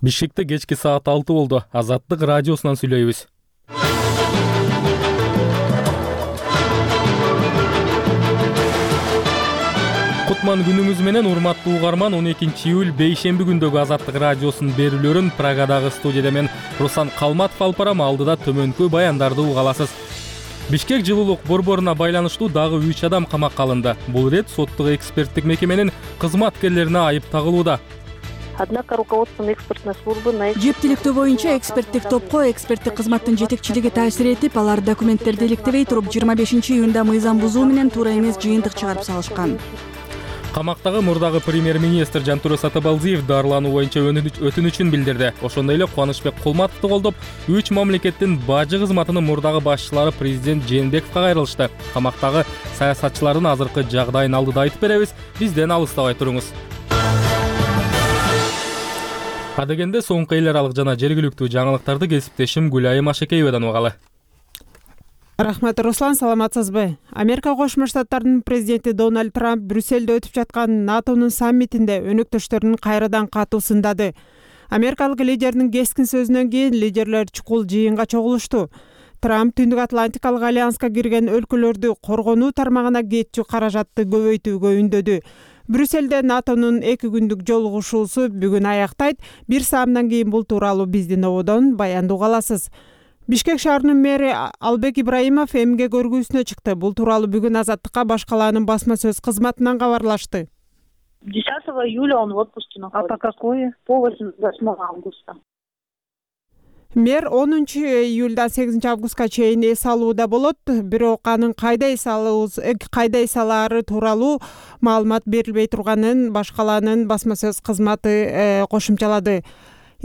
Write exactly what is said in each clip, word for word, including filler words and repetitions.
Бишкекте кечки саат алты болду. Азаттык радиосунан сүйлөйбүз. Кутман күнүңүз менен урматтуу угарман. он экинчи июль бейшемби күндөгү Азаттык радиосунун берүүлөрүн Прагадагы студияда мен Руслан Калматов алып барам. Алдыда төмөнкү баяндарды уга аласыз. Бишкек жылуулук борборуна байланыштуу дагы үч адам камакка алынды. Бул ирет соттук эксперттик мекеменин кызматкерлерине айып тагылууда. Однако руководством экспертной службы на Жептиликтөө боюнча эксперттик топко эксперттик кызматтын жетекчилиги таасир этип, алар документтерди иликтебей туруп жыйырма бешинчи июнда мыйзам бузуу менен туура эмес жыйынтык чыгарып салышкан. Камактагы мурдагы премьер-министр Жантура Сатабалдиев дарылануу боюнча өтүнүчүн билдирди. Ошондой эле Кубанычбек Кулматовду колдоп, үч мамлекеттин бажы кызматынын мурдагы башчылары президент Жээнбековго кайрылышты. Камактагы саясатчылардын азыркы жагдайын алдыда айтып беребиз. Бизден алыстабай туруңуз. Адегенде соңку эл аралык жана жергиликтүү жаңылыктарды кесиптешим Гүлайым Ашекеевадан угалы. Рахмат, Руслан, саламатсызбы? Америка Кошмо Штаттарынын президенти Дональд Трамп Брюссельде өтүп жаткан НАТОнун саммитинде өнөктөштөрүн кайрадан катуу сындады. Америкалык лидердин кескин сөзүнөн кийин лидерлер чукул жыйынга чогулушту. Трамп Түндүк Атлантикалык альянска кирген өлкөлөрдү коргонуу тармагына кетчү каражатты көбөйтүүгө үндөдү. Брюссельде НАТОнун эки күндүк жолугушуусу бүгүн аяктайт. Бир саамдан кийин бул тууралуу биздин ободон баянды уга аласыз. Бишкек шаарынын мэри Албек Ибраимов эмгек көргүүсүнө чыкты. Бул тууралуу бүгүн Азаттыкка баш калаанын басма сөз кызматынан кабарлашты. десятого июля он в отпуске находится. А по какое? По восьмого августа. Мэр онунчу июльдан сегизинчи августка чейин эс алууда болот. Бирок анын кайда эс алуу, кайда эс алаары тууралуу маалымат берилбей турганын баш калаанын басма сөз кызматы кошумчалады.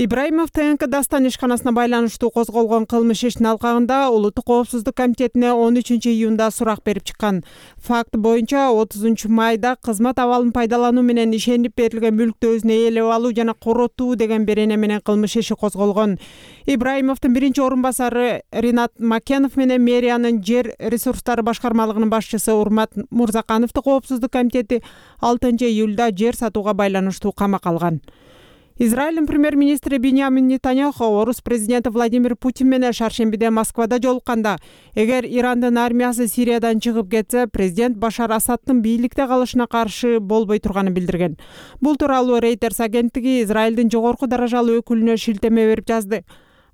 Ибраимов ТНК Дастан ишканасына байланыштуу козголгон кылмыш ишинин алкагында Улуттук коопсуздук комитетине он үчүнчү июнда сурак берип чыккан. Факт боюнча отузунчу майда кызмат абалын пайдалануу менен ишенип берилген мүлктү өзүнө ээлеп алуу жана коротуу деген берене менен кылмыш иши козголгон. Ибраимовдун биринчи орун басары Ринат Макенов менен мэриянын жер ресурстары башкармалыгынын башчысы Урмат Мурзакановду коопсуздук комитети алтынчы июлда жер сатууга байланыштуу камакка алган. Израилдин премьер-министри Биньямин Нетаньяху орус президенти Владимир Путин менен шаршембиде Москвада жолукканда, эгер Ирандын армиясы Сириядан чыгып кетсе, президент Башар Асаддын бийликте калышына каршы болбой турганын билдирген. Бул тууралуу Reuters агенттиги Израилдин жогорку даражалуу өкүлүнө шилтеме берип жазды.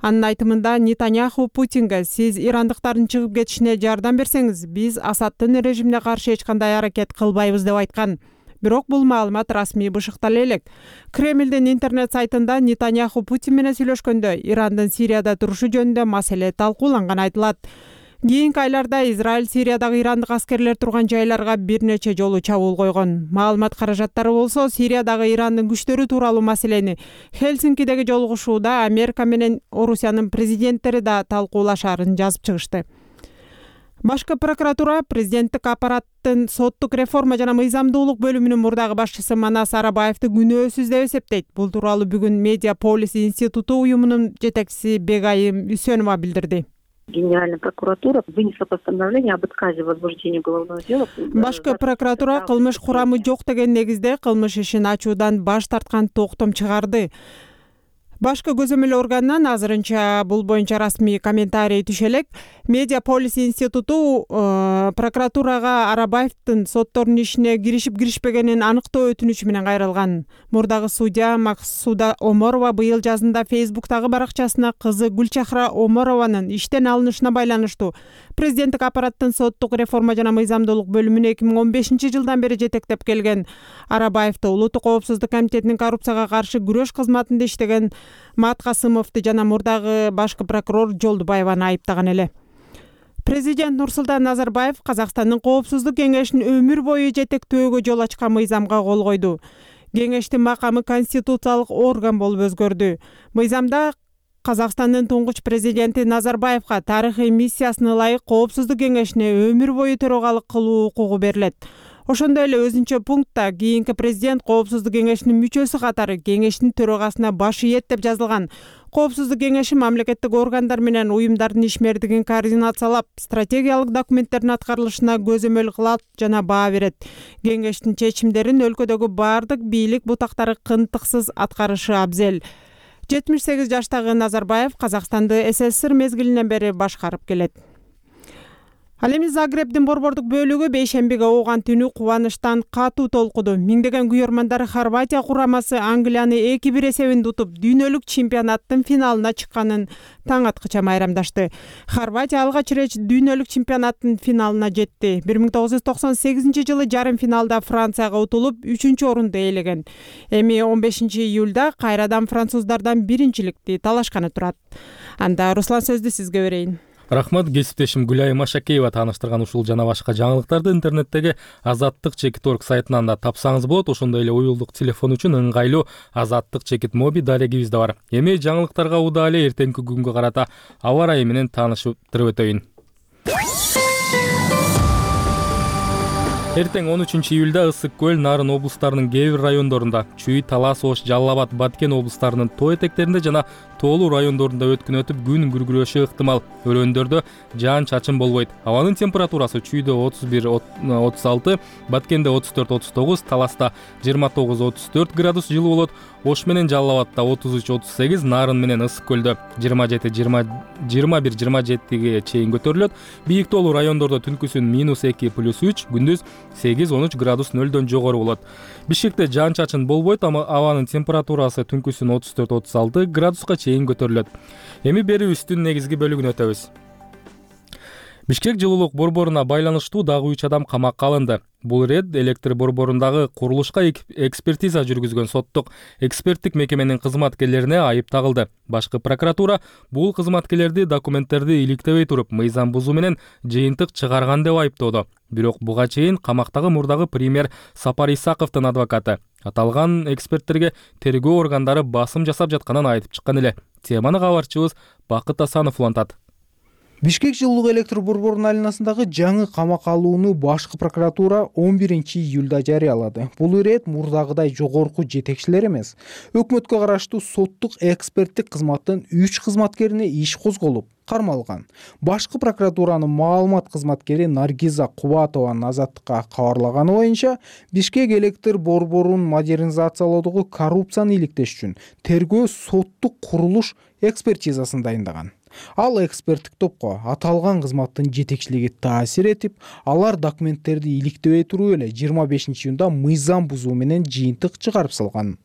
Анын айтымында Нетаньяху Путинге: "Сиз ирандыктардын чыгып кетишине жардам берсеңиз, биз Асаддын режимине каршы эч кандай аракет кылбайбыз" деп айткан. Бирок бул маалымат расмий бышыктала элек. Кремлдин интернет сайтында Нетаньяху Путин менен сүйлөшкөндө Ирандын Сирияда турушу жөнүндө маселе талкууланганы айтылат. Кийинки айларда Израиль Сириядагы ирандык аскерлер турган жайларга бир нече жолу чабуул койгон. Маалымат каражаттары болсо Сириядагы Ирандын күчтөрү тууралуу маселени Хельсинкидеги жолугушууда Америка менен Орусиянын президенттери да талкуулашаарын жазып чыгышты. Башкы прокуратура президенттик аппараттын соттук реформа жана мыйзамдуулук бөлүмүнүн мурдагы башчысы Манас Арабаевди күнөөсүз деп эсептейт. Бул тууралуу бүгүн Медиаполис институту уюмунун жетекчиси Бегайым Үсөнова билдирди. Генеральная прокуратура вынесла постановление об отказе в возбуждении уголовного дела. Башкы прокуратура кылмыш курамы жок деген негизде кылмыш ишин ачуудан баш тарткан токтом чыгарды. Башкы көзөмөл органынан азырынча бул боюнча расмий комментарий түшө элек. Медиаполис институту э, прокуратурага Арабаевдин соттордун ишине киришип киришпегенин аныктоо өтүнүчү менен кайрылган. Мурдагы судья Максуда Оморова быйыл жазында Фейсбуктагы баракчасына кызы Гүлчахра Оморованын иштен алынышына байланыштуу президенттик аппараттын соттук реформа жана мыйзамдуулук бөлүмүнө эки миң он бешинчи жылдан бери жетектеп келген. Арабаевди Улуттук коопсуздук комитетинин коррупцияга каршы күрөш кызматында иштеген Мат Касымовду жана мурдагы башкы прокурор Жолдубаеваны айыптаган эле. Президент Нурсултан Назарбаев Казакстандын коопсуздук кеңешин өмүр бою жетектөөгө жол ачкан мыйзамга кол койду. Кеңештин макамы конституциялык орган болуп өзгөрдү. Мыйзамда Казакстандын туңгуч президенти Назарбаевга тарыхый миссиясына ылайык коопсуздук кеңешине өмүр бою төрагалык кылуу укугу берилет. Ошондой эле өзүнчө пунктта кийинки президент коопсуздук кеңешинин мүчөсү катары кеңештин төрагасына баш ийет деп жазылган. Коопсуздук кеңеши мамлекеттик органдар менен уюмдардын ишмердигин координациялап, стратегиялык документтердин аткарылышына көзөмөл кылат жана баа берет. Кеңештин чечимдерин өлкөдөгү бардык бийлик бутактары кынтыксыз аткарышы абзел. жетимиш сегиз жаштагы Назарбаев Казакстанды СССР мезгилинен бери башкарып келет. Ал эми Загребдин борбордук бөлүгү бейшембиге ооган түнү кубанычтан катуу толкуду. Миңдеген күйөрмандар Хорватия курамасы Англияны эки бир эсебинде утуп, дүйнөлүк чемпионаттын финалына чыкканын таң аткыча майрамдашты. Хорватия алгач ирет дүйнөлүк чемпионаттын финалына жетти. бир миң тогуз жүз токсон сегизинчи жылы жарым финалда Францияга утулуп, үчүнчү орунду ээлеген. Эми он бешинчи июлда кайрадан француздардан биринчиликти талашканы турат. Анда Руслан, сөздү сизге берейин. Рахмат, кесиптешим Гүлайым Шакеева тааныштырган ушул жана башка жаңылыктарды интернеттеги Азаттык чекит орг сайтынан да тапсаңыз болот. Ошондой эле уюлдук телефон үчүн ыңгайлуу Азаттык чекит моби дарегибиз да бар. Эми жаңылыктарга удаа эле эртеңки күнгө карата аба ырайы менен тааныштырып өтөйүн. Эртең он үчүнчү июлда Ысык көл, Нарын облустарынын кээ бир райондорунда, Чүй, Талас, Ош, Жалал Абад, Баткен облустарынын тоо этектеринде жана тоолуу райондорунда өткүн өтүп күн күркүрөшү ыктымал. Өрөөндөрдө жаан чачын болбойт. Абанын температурасы Чүйдө отуз бир отуз алты, Баткенде отуз төрт отуз тогуз, Таласта жыйырма тогуз отуз төрт градус жылуу болот. Ош менен Жалал Абадта отуз үч отуз сегиз, Нарын менен Ысык көлдө жыйырма жети жыйырма бир жыйырма жетиге чейин көтөрүлөт. Бийик тоолуу райондордо түнкүсүн минус эки плюс үч, күндүз сегиз он үч градус нөлдөн жогору болот. Бишкекте жаан чачын болбойт, ама абанын температурасы түнкүсүн отуз төрт отуз алты градуска чейин көтөрүлөт. Эми берүүбүздүн негизги бөлүгүнө өтөбүз. Бишкек жылуулук борборуна байланыштуу дагы үч адам камакка алынды. Бул ирет электр борборундагы курулушка экспертиза жүргүзгөн соттук эксперттик мекеменин кызматкерлерине айып тагылды. Башкы прокуратура бул кызматкерлерди документтерди иликтебей туруп мыйзам бузуу менен жыйынтык чыгарган деп айыптоодо. Бирок буга чейин камактагы мурдагы премьер Сапар Исаковдун адвокаты аталган эксперттерге тергөө органдары басым жасап жатканын айтып чыккан эле. Теманы кабарчыбыз Бакыт Асанов улантат. Бишкек жылуулук электр борборунун алинасындагы жаңы камакка алууну башкы прокуратура он биринчи июлда жарыялады. Бул ирет мурдагыдай жогорку жетекчилер эмес, өкмөткө караштуу соттук эксперттик кызматтын үч кызматкерине иш козголуп кармалган. Башкы прокуратуранын маалымат кызматкери Наргиза Кубатованын Азаттыкка кабарлаганы боюнча, Бишкек электр борборун модернизациялоодогу коррупцияны иликтеш үчүн тергөө соттук курулуш экспертизасын дайындаган. Ал эксперттик топко аталган кызматтын жетекчилиги таасир этип, алар документтерди иликтебей туруп эле жыйырма бешинчи июнда мыйзам бузуу менен жыйынтык чыгарып салган.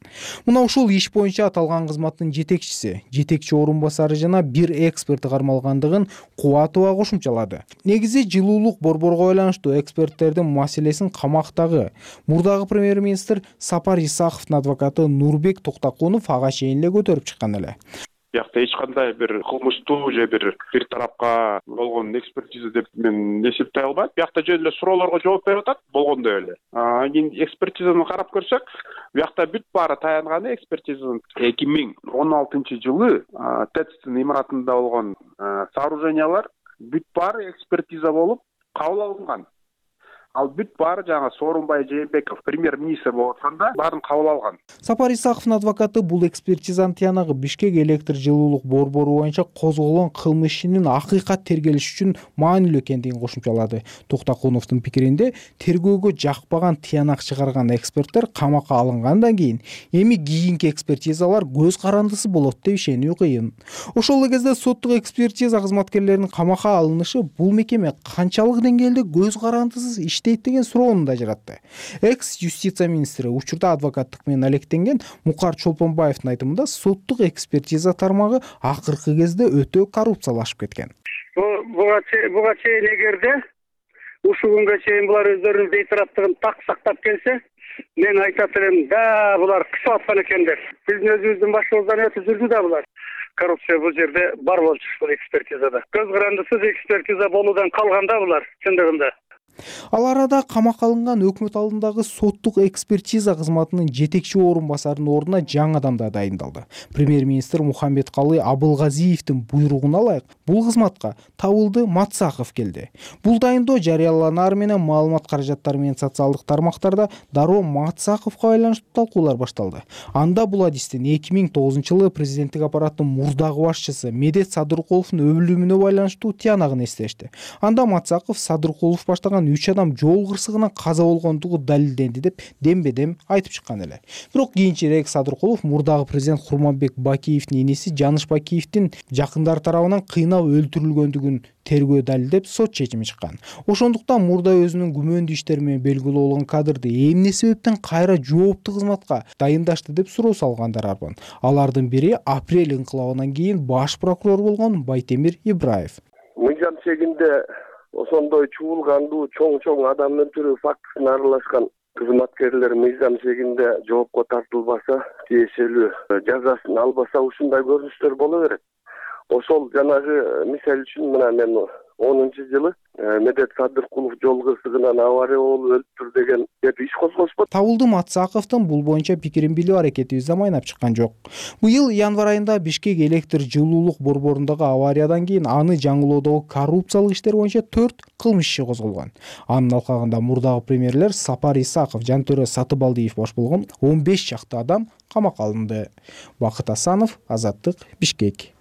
Мына ушул иш боюнча аталган кызматтын жетекчиси, жетекчи орун басары жана бир эксперти кармалгандыгын Кубатова кошумчалады. Негизи жылуулук борборго байланыштуу эксперттердин маселесин камактагы мурдагы премьер-министр Сапар Исаковдун адвокаты Нурбек Токтакунов ага чейин эле көтөрүп чыккан эле. Бияқта эч кандай бир кылмыштуу же бир бир тарапка болгон экспертиза деп мен эсептей албайм. Бияқта жөн эле суроолорго жооп берип атат болгондой эле. Анан кийин экспертизаны карап көрсөк, бияқта бүт баары таянганы экспертизанын эки миң он алтынчы жылы ТЭЦтин имаратында болгон сооружениялар бүт баары экспертиза болуп кабыл алынган. Ал бүт баары жаңа Сооронбай Жээнбеков премьер-министр болуп атканда баарын кабыл алган. Сапар Исаковдун адвокаты бул экспертизанын тиянагы Бишкек электр жылуулук борбору боюнча козголгон кылмыш ишинин акыйкат тергелиш үчүн маанилүү экендигин кошумчалады. Токтакуновдун пикиринде, тергөөгө жакпаган тиянак чыгарган эксперттер камакка алынгандан кийин эми кийинки экспертизалар көз карандысы болот деп ишенүү кыйын. Ошол эле кезде соттук экспертиза кызматкерлеринин камакка алынышы бул мекеме канчалык деңгээлде көз карандысыз иштейт деген суроону да жаратты. Экс-юстиция министри учурда адвокаттык менен алектенген Мукар Чолпонбаевдин айтымында соттук экспертиза тармагы акыркы кезде өтө коррупциялашып кеткен. Буга чейин эгерде ушул күнгө чейин булар өздөрүнүн бейтараптыгын так сактап келсе, мен айтат элем, да булар кысып аткан экендер. Биздин өзүбүздүн башыбыздан өтүп жүрдү да булар. Коррупция бул жерде бар болчу ушул экспертизада. Көз карандысыз экспертиза болуудан калганда булар чындыгында. Ал арада камакка алынган өкмөт алдындагы соттук экспертиза кызматынын жетекчи орун басарынын ордуна жаңы адам да дайындалды. Премьер-министр Мухаммедкалый Абылгазиевдин буйругуна ылайык бул кызматка Табылды Матсаков келди. Бул дайындоо жарыяланаар менен маалымат каражаттары менен социалдык тармактарда дароо Матсаковго байланыштуу талкуулар башталды. Анда бул адистин эки миң тогузунчу жылы президенттик аппараттын мурдагы башчысы Медет Садыркуловдун өлүмүнө байланыштуу тиянагын эстешти. Анда Матсаков Садыркулов баштаган үч адам жол кырсыгынан каза болгондугу далилденди деп дембе-дем айтып чыккан эле. Бирок кийинчерээк Садыркулов мурдагы президент Курманбек Бакиевдин иниси Жаныш Бакиевдин жакындары тарабынан кыйнап өлтүрүлгөндүгүн тергөө далилдеп сот чечими чыккан. Ошондуктан мурда өзүнүн күмөндүү иштери менен белгилүү болгон кадрды эмне себептен кайра жооптуу кызматка дайындашты деп суроо салгандар арбын. Алардын бири апрель инкылабынан кийин баш прокурор болгон Байтемир Ибраев. Мыйзам чегинде ошондой чуулгандуу чоң-чоң адам өлтүрүү фактысына аралашкан кызматкерлер мыйзам чегинде жоопко тартылбаса, тиешелүү жазасын албаса ушундай көрүнүштөр боло берет. Ошол жанагы мисал үчүн мына мен онунчу жылы Медет Садыркулов жол кырсыгынан авария болуп өлтүр деген деп иш козгошпу. Табылдым Атсаковдун бул боюнча пикирин билүү аракетибизде майнап чыккан жок. Быйыл январь айында Бишкек электр жылуулук борборундагы авариядан кийин аны жаңылоодогу коррупциялык иштер боюнча төрт кылмыш иши козголгон. Анын алкагында мурдагы премьерлер Сапар Исаков, Жантөрө Сатыбалдиев баш болгон он беш чакты адам камакка алынды. Бакыт Асанов, Азаттык, Бишкек.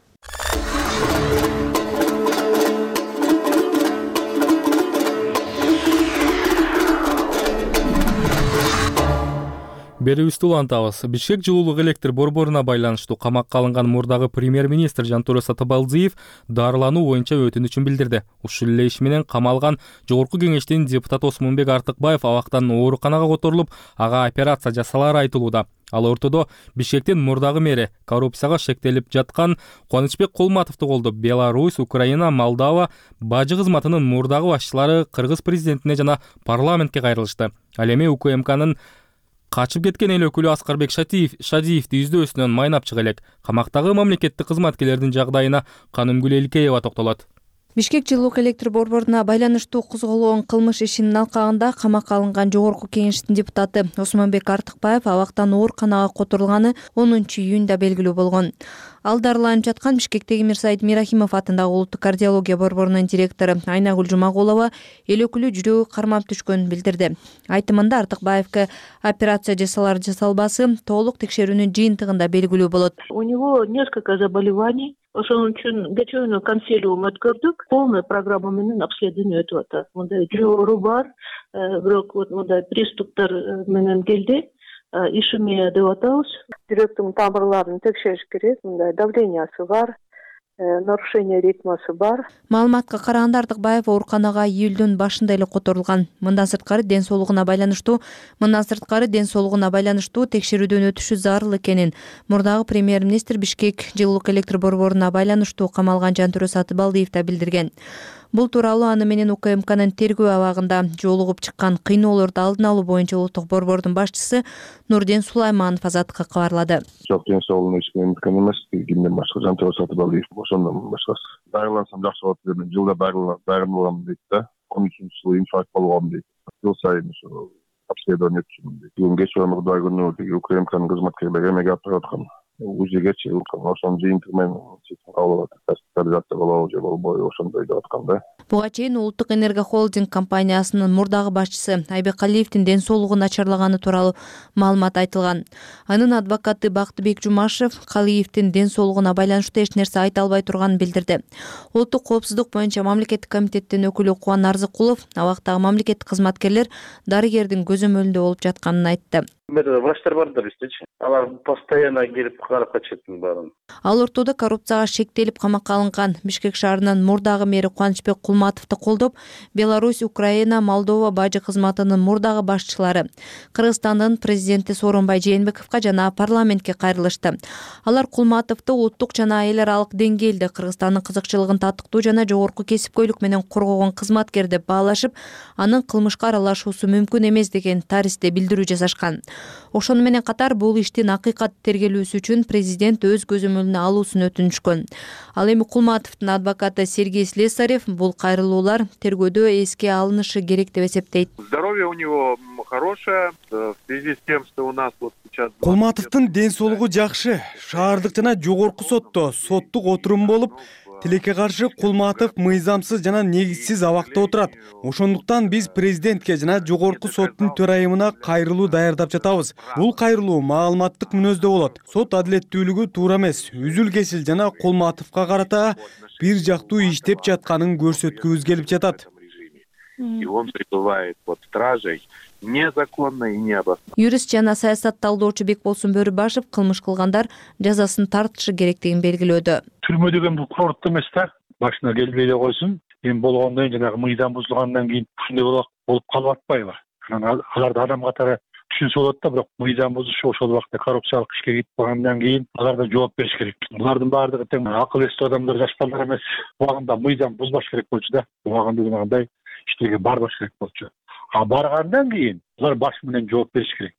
Берүүбүздү улантабыз. Бишкек жылуулук электр борборуна байланыштуу камакка алынган мурдагы премьер-министр Жантөрө Сатыбалдиев дарылануу боюнча өтүнүчүн билдирди. Ушул эле иш менен камалган Жогорку кеңештин депутаты Осмонбек Артыкбаев абактан ооруканага которулуп, ага операция жасалары айтылууда. Ал ортодо Бишкектин мурдагы мэри коррупцияга шектелип жаткан Кубанычбек Кулматовду колдоп, Беларусь, Украина, Молдова бажы кызматынын мурдагы башчылары Кыргыз президентине жана парламентке кайрылышты. Ал эми УКМКнын качып кеткен эл өкүлү Аскарбек Шадиевди издөөсүнөн майнап чыга элек. Камактагы мамлекеттик кызматкерлердин жагдайына Канымгүл Элкеева токтолот. Бишкек жылуулук электр борборуна байланыштуу козголгон кылмыш ишинин алкагында камакка алынган Жогорку кеңештин депутаты Осмонбек Артыкбаев абактан ооруканага которулганы онунчу июнда белгилүү болгон. Ал дарыланып жаткан Бишкектеги Мирсаид Мирахимов атындагы улуттук кардиология борборунун директору Айнагүл Жумагулова эл өкүлү жүрөгү кармап түшкөнүн билдирди. Айтымында Артыкбаевке операция жасалар жасалбасы толук текшерүүнүн жыйынтыгында белгилүү болот. У него несколько заболеваний. Ошон үчүн кечээ консилиум өткөрдүк. Полная программа менен обследование өтүп атат. Мындай жоору бар, бирок вот мындай приступтар менен келди. Ишемия деп атабыз. Жүрөктүн тамырларын текшериш керек. Мындай давлениясы бар, нарушение ритмасы бар. Маалыматка караганда Артыкбаев ооруканага июлдун башында эле которулган. Мындан сырткары ден соолугуна байланыштуу, мындан сырткары ден соолугуна байланыштуу текшерүүдөн өтүшү зарыл экенин мурдагы премьер-министр Бишкек жылуулук электр борборуна байланыштуу камалган Жантөрө Сатыбалдиев да билдирген. Бул тууралуу аны менен УКМКнын тергөө абагында жолугуп чыккан кыйноолорду алдын алуу боюнча улуттук борбордун башчысы Нурден Сулайманов Азаттыкка кабарлады. Жок, ден соолугуна эч кимден эмес, кимден башка Жантөрө Сатыбалдиев ошондон башкасы. Дарылансам жакшы болот деп мен жылда дарыланам дейт да. он үчүнчү жылы инфаркт болгон дейт. Жыл сайын ошо обследование өтчүмүн дейт. Бүгүн кечээ мурдай күнү тиги УКМКнын кызматкерлери эмеге алып барып аткан. Узигечи ошонун жыйынтыгы менен алып госпитализация болобу же болбойбу ошондой деп аткан да. Буга чейин Улуттук энерго холдинг компаниясынын мурдагы башчысы Айбек Алиевдин ден соолугу начарлаганы тууралуу маалымат айтылган. Анын адвокаты Бактыбек Жумашев Калиевдин ден соолугуна байланыштуу эч нерсе айта албай турганын билдирди. Улуттук коопсуздук боюнча мамлекеттик комитеттин өкүлү Кубан Арзыкулов абактагы мамлекеттик кызматкерлер дарыгердин көзөмөлүндө болуп жатканын айтты. Врачтар бардыр истечи. Алар постоянно келип карап качатын баарын. Ал ортодо коррупцияга шектелип камакка алынган Бишкек шаарынын мурдагы мэри Кубанычбек Кулматовду колдоп, Беларусь, Украина, Молдова бажы кызматынын мурдагы башчылары Кыргызстандын президенти Сооронбай Жээнбековго жана парламентке кайрылышты. Алар Кулматовду улуттук жана эл аралык деңгээлде Кыргызстандын кызыкчылыгын таттыктуу жана жогорку кесипкөйлүк менен коргогон кызматкер деп баалашып, анын кылмышка аралашуусу мүмкүн эмес деген таристе билдирүү жасашкан. Ошону менен катар бул иштин акыйкат тергелүүсү үчүн президент өз көзөмөлүнө алуусун өтүнүшкөн. Ал эми Кулматовдун адвокаты Сергей Слесарев бул кайрылуулар тергөөдө эске алынышы керек деп эсептейт. Здоровье у него хорошее в связи с тем, что у нас вот сейчас Кулматовдун ден соолугу жакшы. Шаардык жана жогорку сотто соттук отурум болуп, тилекке каршы Кулматов мыйзамсыз жана негизсиз абакта отурат. Ошондуктан биз президентке жана жогорку соттун төрайымына кайрылуу даярдап жатабыз. Бул кайрылуу маалыматтык мүнөздө болот. Сот адилеттүүлүгү туура эмес, үзүл кесил жана Кулматовго карата бир жактуу иштеп жатканын көрсөткүбүз келип жатат. и он пребывает под стражей незаконно и необоснованно. Юрист жана саясат талдоочу Бекболсун Бөрүбашев кылмыш кылгандар жазасын тартышы керектигин белгилөөдө. Түрмө деген бул курорт эмес да, башына келбей эле койсун. Эми болгондон кийин жанагы мыйзам бузулгандан кийин ушундай болуп калып атпайбы? Анан аларды адам катары түшүнсө болот да, бирок мыйзам бузушу ошол убакта коррупциялык ишке кетип калгандан кийин аларда жооп бериш керек. Булардын баардыгы тең акыл эстүү адамдар, жаш балдар эмес. Убагында мыйзам бузбаш керек болчу да. Убагында жанагындай иштерге барбаш керек болчу. А баргандан кийин булар баш менен жооп бериш керек.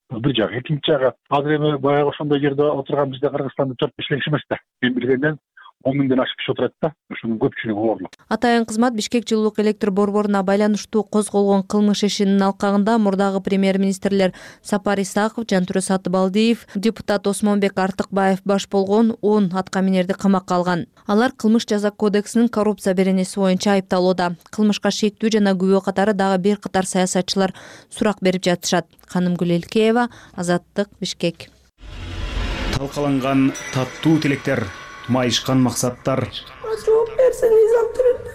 Бул бир жак. Экинчи жагы, азыр эми баягы ошондой жерде отурган бизде Кыргызстанда төрт беш киши эмес да. Мен билгенден он миңден ашып киши отурат да. Ошонун көпчүлүгүоорлук. Атайын кызмат Бишкек жылуулук электр борборуна байланыштуу козголгон кылмыш ишинин алкагында мурдагы премьер-министрлер Сапар Исаков, Жантүрө Сатыбалдиев, депутат Осмонбек Артыкбаев баш болгон он аткаминерди камакка алган. Алар кылмыш жаза кодексинин коррупция беренеси боюнча айыпталууда. Кылмышка шектүү жана күбө катары дагы бир катар саясатчылар сурак берип жатышат. Канымгүл Элкеева, Азаттык, Бишкек. Талкаланган таттуу тилектер, майышкан максаттар. Жооп берсин, мыйзам түрүндө.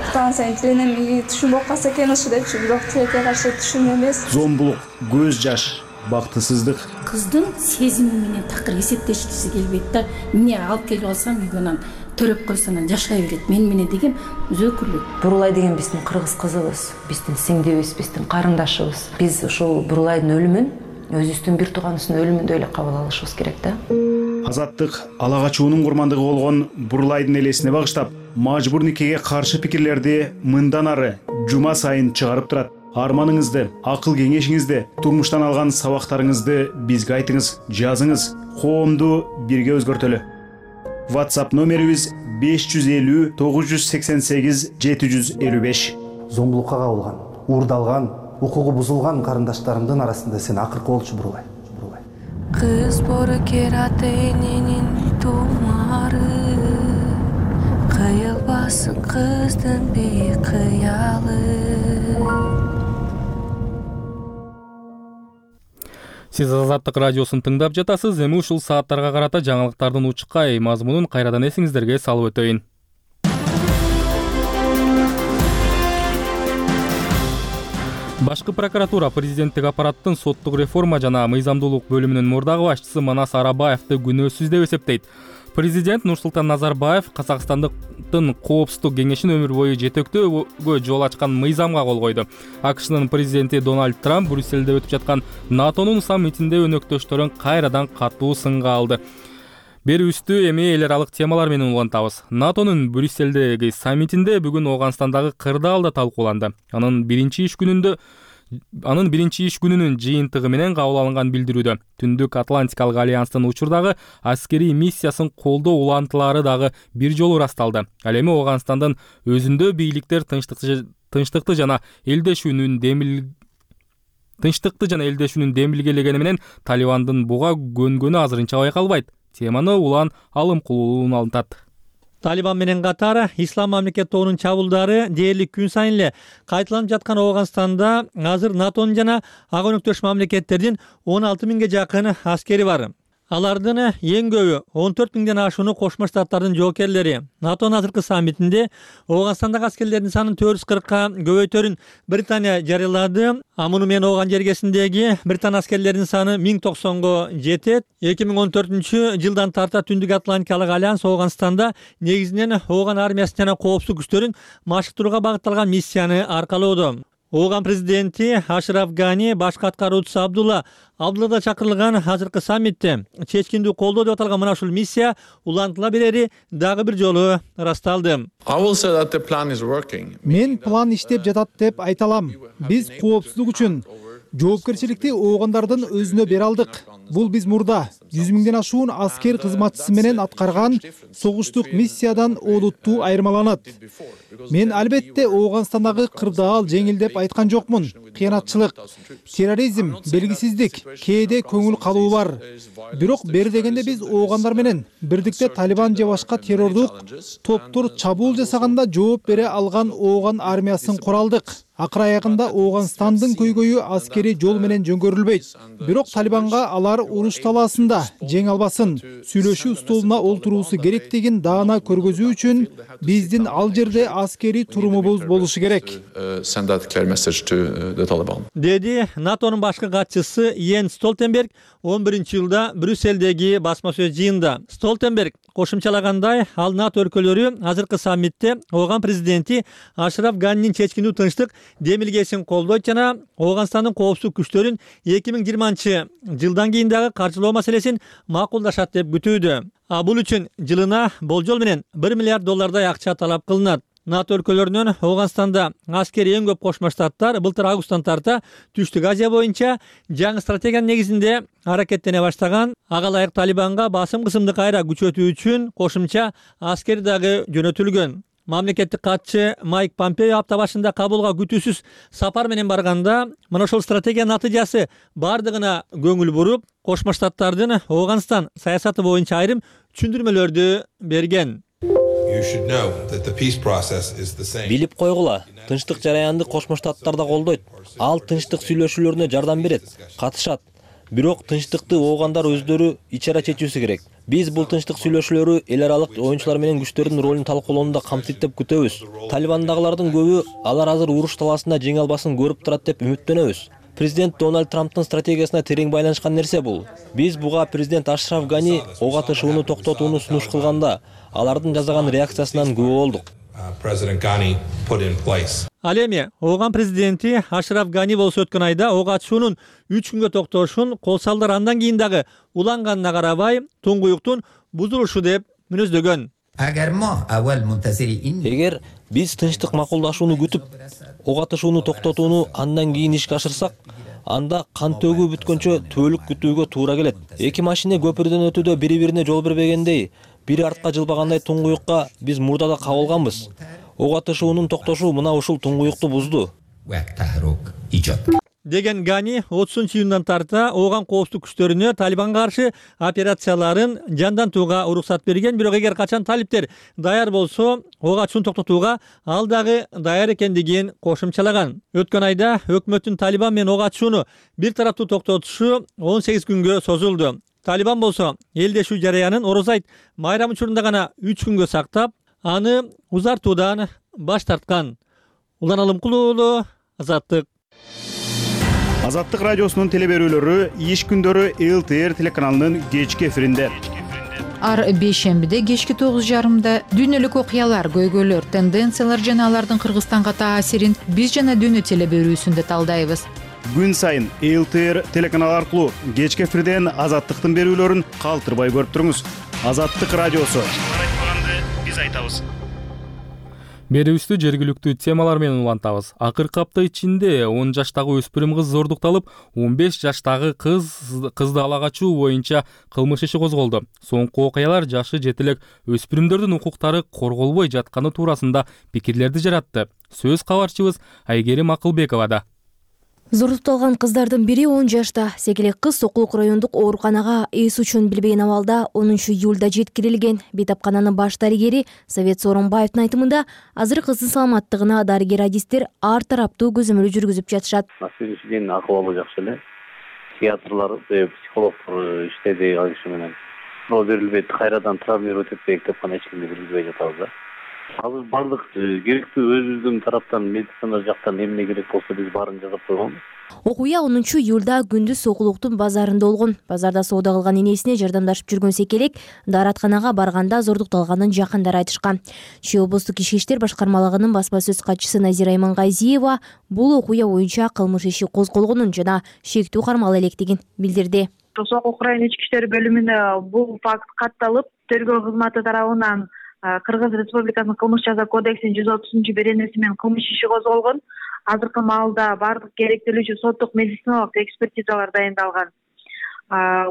Станция тиленем түшүн болуп калса экен ушу депчи, бирок тилекке каршы түшүн эмес. Зомбулук, көз жаш, бактысыздык. Кыздын сезими менен такыр эсептешкиси келбейт да. Эмне алып келип алсам үйгө анан төрөп койсо анан жашай берет. Мен менен деген өзөкүрлүк. Бурулай деген биздин кыргыз кызыбыз, биздин сиңдибиз, биздин карындашыбыз. Биз ушул Бурулайдын өлүмүн өзүбүздүн бир тууганыбыздын өлүмүндөй эле кабыл алышыбыз керек да. Азаттык ала качуунун курмандыгы болгон Бурулайдын элесине багыштап, мажбур никеге каршы пикирлерди мындан ары жума сайын чыгарып турат. Арманыңызды, акыл кеңешиңизди, турмуштан алган сабактарыңызды бизге айтыңыз, жазыңыз. Коомду бирге өзгөртөлү. WhatsApp номерибиз беш жүз элүү тогуз жүз сексен сегиз жети жүз элүү беш. Зомбулукка кабылган, уурдалган, укугу бузулган карындаштарымдын арасында сен акыркы болчу Бурулай. Кыз боркер ата эненин тумары, кыйылбасын кыздын бейкыялы. Сиз Азаттык радиосун тыңдап жатасыз. Эми ушул сааттарга карата жаңылыктардын учкай мазмунун кайрадан эсиңиздерге салып өтөйүн. Башкы прокуратура президенттик аппараттын соттук реформа жана мыйзамдуулук бөлүмүнүн мурдагы башчысы Манас Арабаевди күнөөсүз деп эсептейт. Президент Нурсултан Назарбаев Казакстандын коопсуздук кеңешин өмүр бою жетектөөгө жол ачкан мыйзамга кол койду. АКШнын президенти Дональд Трамп Брюссельде өтүп жаткан НАТОнун саммитинде өнөктөштөрүн кайрадан катуу сынга алды. Берүүбүздү эми эл аралык темалар менен улантабыз. НАТОнун Брюссельдеги саммитинде бүгүн Ооганстандагы кырдаал да талкууланды. Анын биринчи иш күнүндө Анын биринчи иш күнүнүн жыйынтыгы менен кабыл алынган билдирүүдө Түндүк Атлантикалык альянстын учурдагы аскерий миссиясын колдоо улантылары дагы бир жолу ырасталды. Ал эми Ооганстандын өзүндө бийликтер тынчтыкты жана элдешүүнүн демил тынчтыкты жана элдешүүнүн демилгелегени менен Талибандын буга көнгөнү азырынча байкалбайт. Теманы Улан Алымкулуулун алынтат. Талибан менен катар Ислам мамлекет тобунун чабуулдары дээрлик күн сайын эле кайталанып жаткан Ооганстанда азыр НАТОнун жана ага өнөктөш мамлекеттердин он алты миңге жакын аскери бар. Алардын эң көбү он төрт миңден ашууну Кошмо Штаттардын жоокерлери. НАТОнун азыркы саммитинде Ооганстандагы аскерлердин санын төрт жүз кыркка көбөйтөрүн Британия жарыялады. А муну менен Ооган жергесиндеги Британ аскерлеринин саны миң токсонго жетет. эки миң он төртүнчү жылдан тарта Түндүк Атлантикалык альянс Ооганстанда негизинен Ооган армиясын жана коопсуздук күчтөрүн машыктырууга багытталган миссияны аркалоодо. Ооган президенти Ашраф Гани, башкы аткаруучусу Абдулла Абдуллада чакырылган азыркы саммитте чечкиндүү колдоо деп аталган мына ушул миссия улантыла берери дагы бир жолу ырасталды. Мен план иштеп жатат деп айта алам. Биз коопсуздук үчүн жоопкерчиликти оогандардын өзүнө бере алдык. Бул биз мурда жүз миңден ашуун аскер кызматчысы менен аткарган согуштук миссиядан олуттуу айырмаланат. Мен албетте Ооганстандагы кырдаал жеңил деп айткан жокмун. Кыянатчылык, терроризм, белгисиздик, кээде көңүл калуу бар. Бирок бери дегенде биз оогандар менен бирдикте Талибан же башка террордук топтор чабуул жасаганда жооп бере алган Ооган армиясын куралдык. акыр аягында Ооганстандын көйгөйү аскерий жол менен жөнгөрүлбөйт. Бирок Талибанга алар уруш талаасында жеңе албасын, сүйлөшүү столуна олтуруусу керектигин даана көргөзүү үчүн биздин ал жерде аскерий турумубуз болушу керек. Деди НАТОнун башкы катчысы Йенс Столтенберг он биринчи жылда Брюсселдеги басма сөз жыйынында. Столтенберг кошумчалагандай, ал НАТО өлкөлөрү азыркы саммитте Ооган президенти Ашраф Ганинин чечкиндүү тынчтык демилгесин колдойт жана Ооганстандын коопсуздук күчтөрүн эки миң жыйырманчы жылдан кийин дагы каржылоо маселесин макулдашат деп күтүүдө. А бул үчүн жылына болжол менен бир миллиард доллардай акча талап кылынат. НАТО өлкөлөрүнөн Ооганстанда аскери эң көп кошмо штаттар былтыр августтан тарта Түштүк Азия боюнча жаңы стратегиянын негизинде аракеттене баштаган. Ага ылайык Талибанга басым кысымды кайра күчөтүү үчүн кошумча аскер дагы жөнөтүлгөн. Мамлекеттик катчы Майк Помпео апта башында Кабулга күтүүсүз сапар менен барганда, мына ошол стратегиянын натыйжасы бардыгына көңүл буруп, кошмо штаттардын Ооганстан саясаты боюнча айрым түшүндүрмөлөрдү берген. Билип койгула, тынчтык жараянды кошмо штаттар да колдойт. Ал тынчтык сүйлөшүүлөрүнө жардам берет, катышат. Бирок тынчтыкты оогандар өздөрү ичара чечүүсү керек. Биз бул тынчтык сүйлөшүүлөрү эл аралык оюнчулар менен күчтөрдүн ролун талкуулоонда камтыйт деп күтөбүз. Талибандагылардын көбү алар азыр уруш талаасында жеңе албасын көрүп турат деп үмүттөнөбүз. Президент Дональд Трамптын стратегиясына терең байланышкан нерсе бул. Биз буга президент Ашраф Гани ок атышууну токтотууну сунуш кылганда алардын жасаган реакциясынан күбө болдук. Ал эми Ооган президенти Ашраф Гани болсо өткөн айда ок атышуунун үч күнгө токтошун кол салдыр, андан кийин дагы уланганына карабай туңгуюктун бузулушу деп мүнөздөгөн. Эгер биз тынчтык макулдашууну күтүп, ок атышууну токтотууну андан кийин ишке ашырсак, анда кан төгүү бүткөнчө түбөлүк күтүүгө туура келет. Эки машина көпүрдөн өтүүдө бири-бирине жол бербегендей, бири артка жылбагандай туңгуюкка биз мурдада кабылганбыз. Ок атышуунун токтошу мына ушул туңгуюкту бузду деген Гани отузунчу июндан тарта Ооган коопсуздук күчтөрүнө Талибанга каршы операцияларын жандантууга уруксат берген. Бирок эгер качан талиптер даяр болсо, ок атышууну токтотууга ал дагы даяр экендигин кошумчалаган. Өткөн айда өкмөттүн Талибан менен ок атышууну бир тараптуу токтотушу он сегиз күнгө созулду. Талибан болсо элдешүү жараянын Орозо айт майрам учурунда гана үч күнгө сактап, аны узартуудан баш тарткан. Улан Алымкул уулу, Азаттык. Азаттык радиосунун теле берүүлөрү иш күндөрү эл ти эр телеканалынын кечки эфиринде. Ар бейшембиде кечки тогуз жарымда дүйнөлүк окуялар, көйгөйлөр, тенденциялар жана алардын Кыргызстанга таасирин биз жана дүйнө теле берүүсүндө талдайбыз. Күн сайын эл ти эр телеканалы аркылуу кечки эфирден Азаттыктын берүүлөрүн калтырбай көрүп туруңуз. Азаттык радиосу. Биз айтабыз. Берүүбүздү жергиликтүү темалар менен улантабыз. Акыркы апта ичинде он жаштагы өспүрүм кыз зордукталып, он беш жаштагы кыз кызды ала качуу боюнча кылмыш иши козголду. Соңку окуялар жашы жетилек өспүрүмдөрдүн укуктары корголбой жатканы туурасында пикирлерди жаратты. Сөз кабарчыбыз Айгерим Акылбековада. Зордукталган кыздардын бири он жашта. Сегелек кыз Сокулук райондук ооруканага эс учун билбеген абалда онунчу июлда жеткирилген. Бейтапкананын баш дарыгери Совет Сооронбаевдин айтымында, азыр кыздын саламаттыгына дарыгер-адистер ар тараптуу көзөмөл жүргүзүп жатышат. Сегизинчиден акыбалы жакшы эле. Психиатрлар, психологдор иштеди ал киши менен. Но берилбейт, кайрадан травмировать этпейт деп гана эч кимди киргизбей жатабыз да. Азыр бардык керектүү өзүбүздүн тараптан медицина жактан эмне керек болсо биз баарын жасап койгонбуз. Окуя онунчу июлда күндүз Сокулуктун базарында болгон. Базарда соода кылган энесине жардамдашып жүргөн Секелек дааратканага барганда зордукталганын жакындары айтышкан. Чүй облустук ички иштер башкармалыгынын басма сөз катчысы Назира Имангайзиева бул окуя боюнча кылмыш иши козголгонун жана шектүү кармала электигин билдирди. Сокулук район ички иштер бөлүмүнө бул факт катталып, тергөө кызматы тарабынан Кыргыз Республикасынын кылмыш жаза кодексинин жүз отузунчу беренеси менен кылмыш иши козголгон. Азыркы маалда бардык керектелүүчү соттук медициналык экспертизалар дайындалган.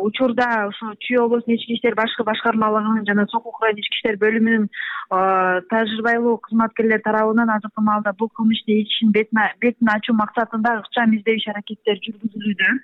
Учурда ушу Чүй облустунун ички иштер башкы башкармалыгынын жана Сокулук район ички иштер бөлүмүнүн тажрыйбалуу кызматкерлери тарабынан азыркы маалда бул кылмыштын ишин бетин ачуу максатында ыкчам издөө иш аракеттери жүргүзүлүүдө.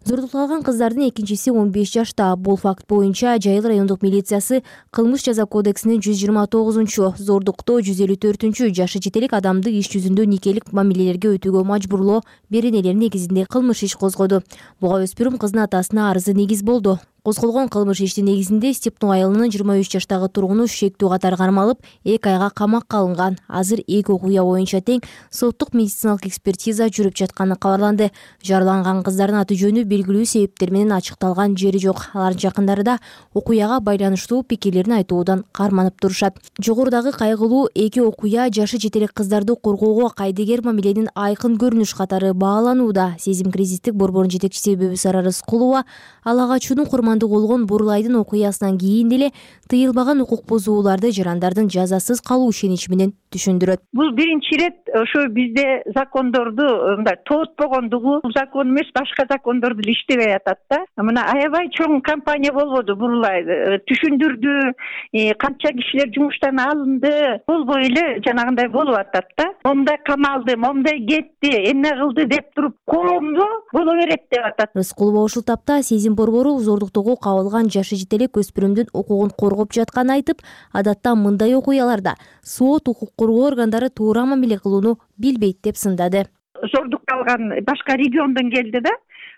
Зордукталган кыздардын экинчиси он беш жашта. Бул факт боюнча Жайыл райондук милициясы кылмыш жаза кодексинин жүз жыйырма тогузунчу, зордуктоо жүз элүү төртүнчү жашы жетелик адамды иш жүзүндө никелик мамилелерге өтүүгө мажбурлоо беренелер негизинде кылмыш иш козгоду. Буга өспүрүм кыздын атасына арызы негиз болду. Козголгон кылмыш иштин негизинде Степнов айылынын жыйырма үч жаштагы тургуну шектүү катары кармалып, эки айга камакка алынган. Азыр эки окуя боюнча тең соттук медициналык экспертиза жүрүп жатканы кабарланды. Жараланган кыздардын аты жөнү белгилүү себептер менен ачыкталган жери жок. Алардын жакындары да окуяга байланыштуу пикирлерин айтуудан карманып турушат. Жогорудагы кайгылуу эки окуя жашы жетелек кыздарды коргоого кайдыгер мамиленин айкын көрүнүш катары бааланууда. Сезим кризистик борборунун жетекчиси Бөбүсара Рыскулова ала качуунун болгон Бурлайдын окуясынан кийин деле тыйылбаган укук бузууларды жарандардын жазасыз калуу ишеничи менен түшүндүрөт. Бул биринчи ирет ошо бизде закондорду мындай тоотпогондугу, бул закон эмес, башка закондорду иштебей атат да. Мына аябай чоң кампания болбоду Бурлайды. Түшүндүрдү, канча кишилер жумуштан алынды, болбой эле жанагындай болуп атат да. Момдай камалды, момдай кетти, эмне кылды деп туруп коомду боло берет деп атат. Рыскулова ушул тапта Сезим борбору зордуктоого кабылган жашы жетелек өспүрүмдүн укугун коргоп жатканын айтып, адатта мындай окуяларда сот, укук коргоо органдары туура мамиле кылууну билбейт деп сындады. Зордукталган башка региондон келди да.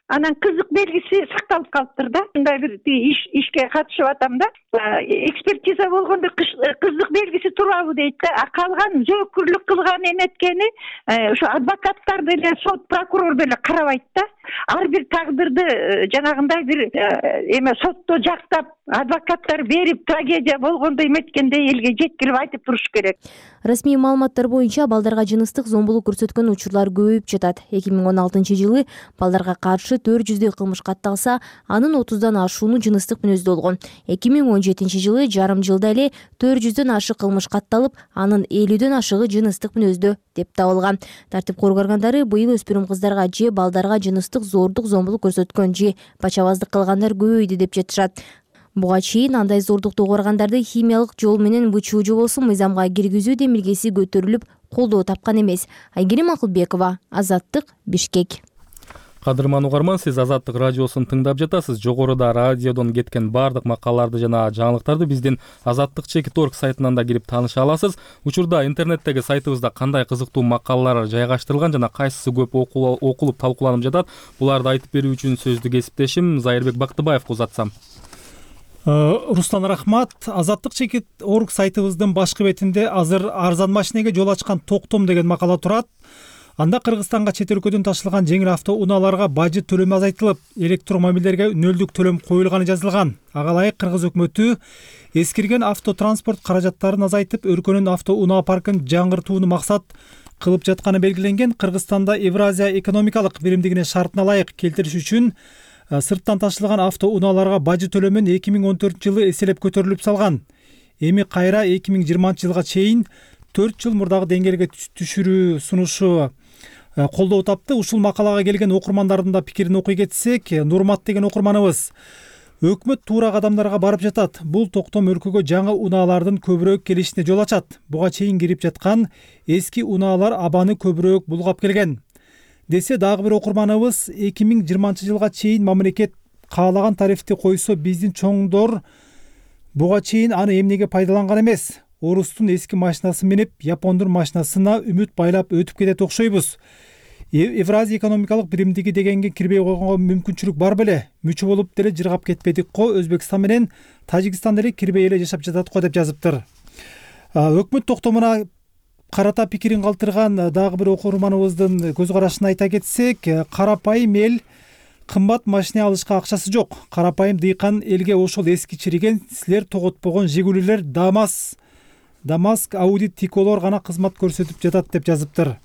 Анан кызык белгиси сакталып калыптыр да. Мындай бир иш ишке катышып атам да. Экспертиза болгондо кызык белгиси турабы дейт да. А калган жоокурлук кылган эметкени ошо адвокаттар деле, сот, прокурор деле карабайт да. Ар бир тагдырды жанагындай бир эме сотто жактап, адвокаттар берип, трагедия болгондо эметкендей элге жеткирип айтып туруш керек. Расмий маалыматтар боюнча балдарга жыныстык зомбулук көрсөткөн учурлар көбөйүп жатат. эки миң он алтынчы жылы балдарга каршы төрт жүздөй кылмыш катталса, анын отуздан ашууну жыныстык мүнөздө болгон. эки миң он жетинчи жылы жарым жылда эле төрт жүздөн ашык кылмыш катталып, анын элүүдөн ашыгы жыныстык мүнөздө деп табылган. Тартип коргоо органдары быйыл өспүрүм кыздарга же балдарга жыныстык зордук зомбулук көрсөткөн же пачабаздык кылгандар көбөйдү деп жатышат. Буга чейин андай зордуктуу органдарды химиялык жол менен бычуу же болбосо мыйзамга киргизүү демилгеси көтөрүлүп, колдоо тапкан эмес. Айгерим Акылбекова, Азаттык, Бишкек. Кадырман угарман, сиз Азаттык радиосун тыңдап жатасыз. Жогоруда радиодон кеткен баардык макалаларды жана жаңылыктарды биздин азаттык чекит точка орг сайтынан да кирип тааныша аласыз. Учурда интернеттеги сайтыбызда кандай кызыктуу макалалар жайгаштырылган жана кайсысы көп окулуп талкууланып жатат, буларды айтып берүү үчүн сөздү кесиптешим Зайырбек Бактыбаевга узатсам. Руслан рахмат. Азаттык чекит точка орг сайтыбыздын башкы бетинде азыр арзан машинеге жол ачкан токтом деген макала турат. Анда Кыргызстанга чет өлкөдөн ташылган жеңил автоунааларга бажы төлөмү азайтылып, электромобилдерге нөлдүк төлөм коюлганы жазылган. Ага ылайык Кыргыз өкмөтү эскирген автотранспорт каражаттарын азайтып, өлкөнүн автоунаа паркын жаңыртууну максат кылып жатканы белгиленген. Кыргызстанда Евразия экономикалык биримдигинин шартына ылайык келтириш үчүн сырттан ташылган автоунааларга бажы төлөмүн эки миң он төртүнчү жылы эселеп көтөрүлүп салган. Эми кайра эки миң жыйырманчы жылга чейин төрт жыл мурдагы деңгээлге түшүрүү сунушу колдоо тапты. Ушул макалага келген окурмандардын да пикирин окуй кетсек, Нурмат деген окурманыбыз: өкмөт туура кадамдарга барып жатат. Бул токтом өлкөгө жаңы унаалардын көбүрөөк келишине жол ачат. Буга чейин кирип жаткан эски унаалар абаны көбүрөөк булгап келген десе, дагы бир окурманыбыз: эки миң жыйырманчы жылга чейин мамлекет каалаган тарифти койсо, биздин чоңдор буга чейин аны эмнеге пайдаланган эмес? Орустун эски машинасын минип, япондун машинасына үмүт байлап өтүп кетет окшойбуз. Евразия экономикалык биримдиги дегенге кирбей койгонго мүмкүнчүлүк бар беле? Мүчө болуп деле жыргап кетпедик го, Өзбекстан менен Тажикстан деле кирбей эле жашап жатат го деп жазыптыр. Өкмөт токтомуна карата пикирин калтырган дагы бир окурманыбыздын көз карашын айта кетсек, карапайым эл кымбат машина алышка акчасы жок. Карапайым дыйкан элге ошол эски чириген, силер тоготпогон Жигулилер, Дамас Дамаск, Ауди, Тиколор гана кызмат көрсөтүп жатат деп жазыптыр.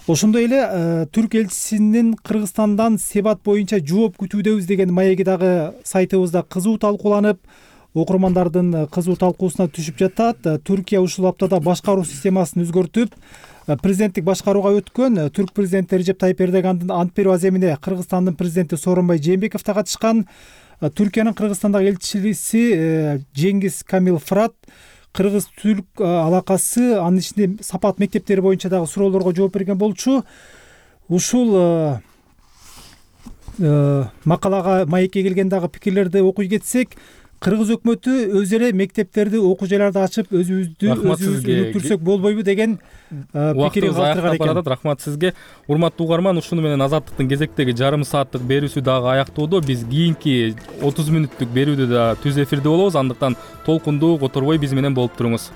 Ошондой эле Түрк элчисинин Кыргызстандан себат боюнча жооп күтүүдөбүз деген маеги дагы сайтыбызда кызуу талкууланып, окурмандардын кызуу талкуусуна түшүп жатат. Түркия ушул аптада башкаруу системасын өзгөртүп, президенттик башкарууга өткөн. Түрк президенти Режеп Тайип Эрдогандын ант берүү аземине Кыргызстандын президенти Сооронбай Жээнбеков да катышкан. Түркиянын Кыргызстандагы элчиси Жеңгиз Камил Фырат кыргыз-түрк алакасы, анын ичинде сапат мектептери боюнча дагы суроолорго жооп берген болчу. Ушул макалага маекке келген дагы пикирлерди окуй кетсек, кыргыз өкмөтү өз эле мектептерди, окуу жайларды ачып өзүбүздү өзүбүз өнүктүрсөк болбойбу деген пикирин калтырган экен. Барат, рахмат сизге. Урматтуу угарман, ушуну менен Азаттыктын кезектеги жарым сааттык берүүсү дагы аяктоодо. Биз кийинки отуз мүнөттүк берүүдө да түз эфирде болобуз, андыктан толкундуу которбой биз менен болуп туруңуз.